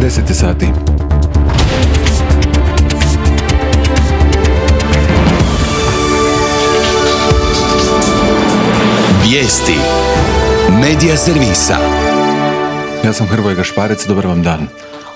10 sati. Vijesti Medija servisa. Ja sam Hrvoje Gašparec, dobar vam dan.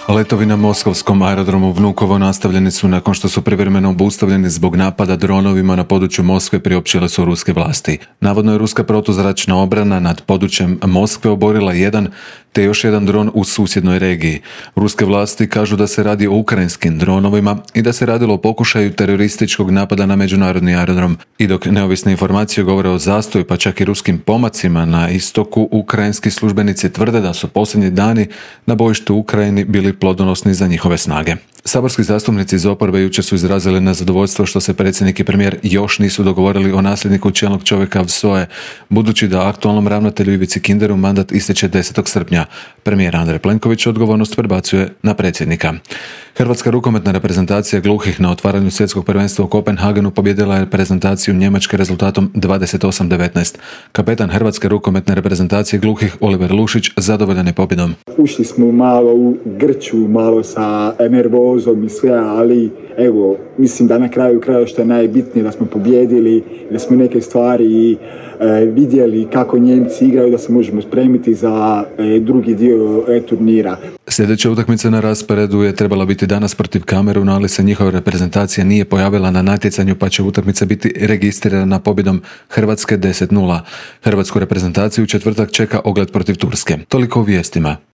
Letovi na moskovskom aerodromu Vnukovo nastavljeni su nakon što su privremeno obustavljeni zbog napada dronovima na području Moskve, priopćile su ruske vlasti. Navodno je ruska protuzračna obrana nad područjem Moskve oborila jedan te još jedan dron u susjednoj regiji. Ruske vlasti kažu da se radi o ukrajinskim dronovima i da se radilo o pokušaju terorističkog napada na međunarodni aerodrom. I dok neovisne informacije govore o zastoju pa čak i ruskim pomacima na istoku, ukrajinski službenici tvrde da su posljednji dani na bojištu u Ukrajini bili plodonosni za njihove snage. Saborski zastupnici iz oporbe jučer su izrazili nezadovoljstvo što se predsjednik i premijer još nisu dogovorili o nasljedniku čelnog čovjeka VSOE, budući da aktualnom ravnatelju Ivici Kinderu mandat ističe 10. srpnja. Premijer Andrej Plenković odgovornost prebacuje na predsjednika. Hrvatska rukometna reprezentacija gluhih na otvaranju svjetskog prvenstva u Kopenhagenu pobijedila je reprezentaciju Njemačke rezultatom 28-19. Kapetan Hrvatske rukometne reprezentacije gluhih Oliver Lušić zadovoljan je pobjedom. Ušli smo malo u grču, malo sa nervozom i sve, ali evo, mislim da na kraju kraja što je najbitnije da smo pobijedili, da smo neke stvari vidjeli kako Njemci igraju, da se možemo spremiti za drugi dio turnira. Sljedeća utakmica na rasporedu je trebala biti danas protiv Kameruna, ali se njihova reprezentacija nije pojavila na natjecanju, pa će utakmica biti registrirana pobjedom Hrvatske 10-0. Hrvatsku reprezentaciju u četvrtak čeka ogled protiv Turske. Toliko o vijestima.